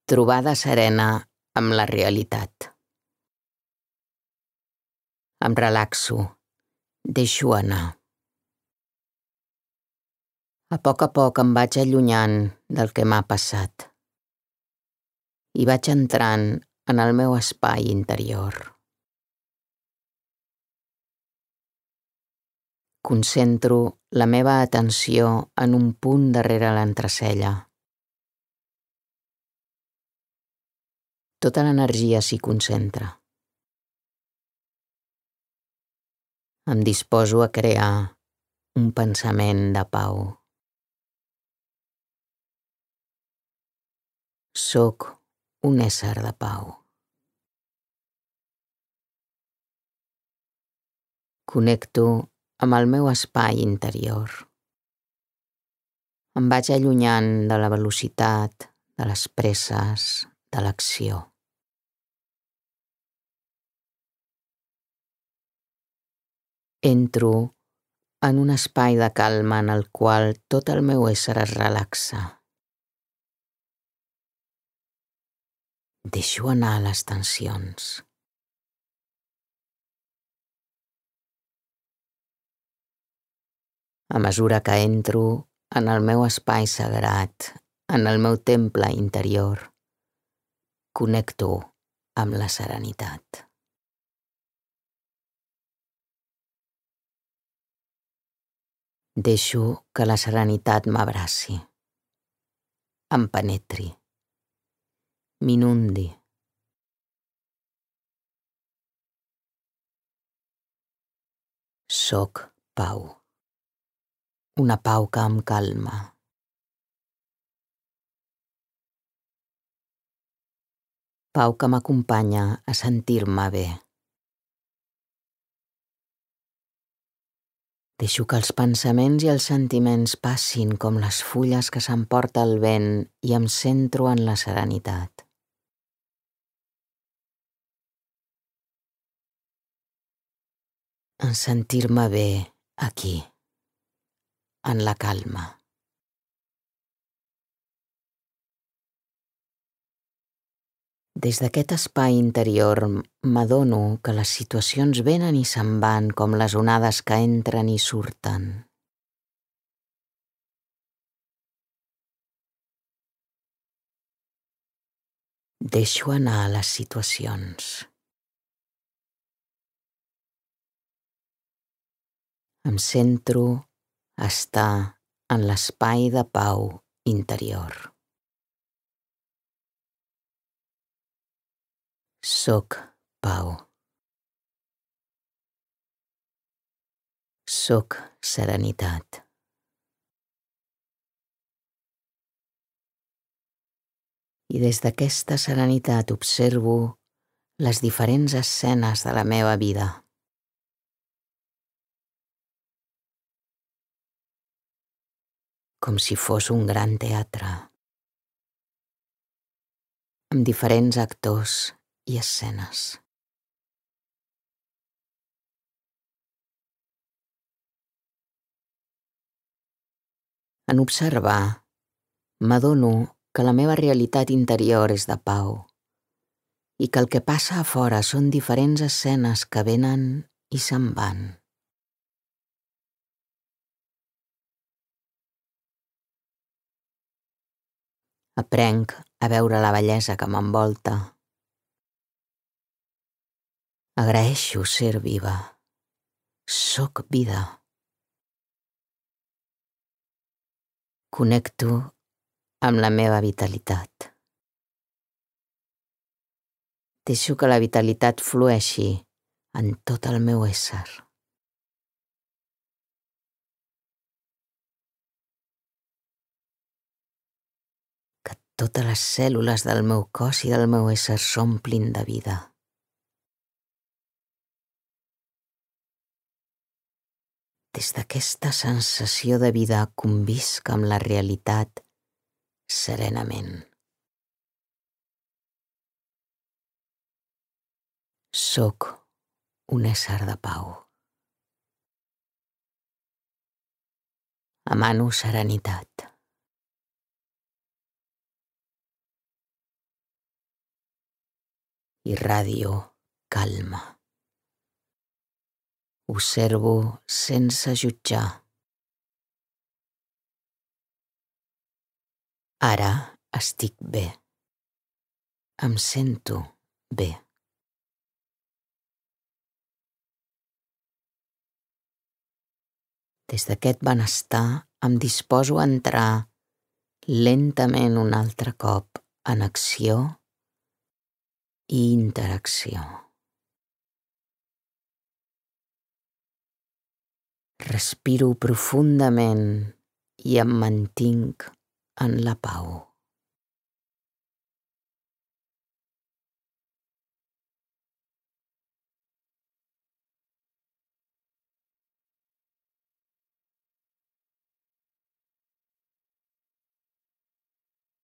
Trobada serena amb la realitat. Em relaxo, deixo anar. A poc em vaig allunyant del que m'ha passat i vaig entrant en el meu espai interior. Concentro la meva atenció en un punt darrere l'entrecella. Tota l'energia s'hi concentra. Em disposo a crear un pensament de pau. Soc un ésser de pau. Connecto amb el meu espai interior. Em vaig allunyant de la velocitat, de les presses, de l'acció. Entro en un espai de calma en el qual tot el meu ésser es relaxa. Deixo anar les tensions. A mesura que entro en el meu espai sagrat, en el meu temple interior, connecto amb la serenitat. Deixo que la serenitat m'abraci, em penetri, m'inundi. Soc pau. Una pau que em calma. Pau que m'acompanya a sentir-me bé. Deixo que els pensaments i els sentiments passin com les fulles que s'emporta el vent i em centro en la serenitat. En sentir-me bé aquí, en la calma. Des d'aquest espai interior m'adono que les situacions venen i se'n van com les onades que entren i surten. Deixo anar les situacions. Em centro a estar en l'espai de pau interior. Soc pau. Soc serenitat. I des d'aquesta serenitat observo les diferents escenes de la meva vida. Com si fos un gran teatre, amb diferents actors i escenes. En observar, m'adono que la meva realitat interior és de pau i que el que passa a fora són diferents escenes que venen i se'n van. Aprenc a veure la bellesa que m'envolta. Agraeixo ser viva. Soc vida. Connecto amb la meva vitalitat. Deixo que la vitalitat flueixi en tot el meu ésser. Que totes les cèl·lules del meu cos i del meu ésser s'omplin de vida. Des d'aquesta sensació de vida convisc amb la realitat serenament. Soc un ésser de pau. Emano serenitat. irradio calma. Observo sense jutjar. Ara estic bé. Em sento bé. Des d'aquest benestar em disposo a entrar lentament un altre cop en acció i interacció. Respiro profundament i em mantinc en la pau.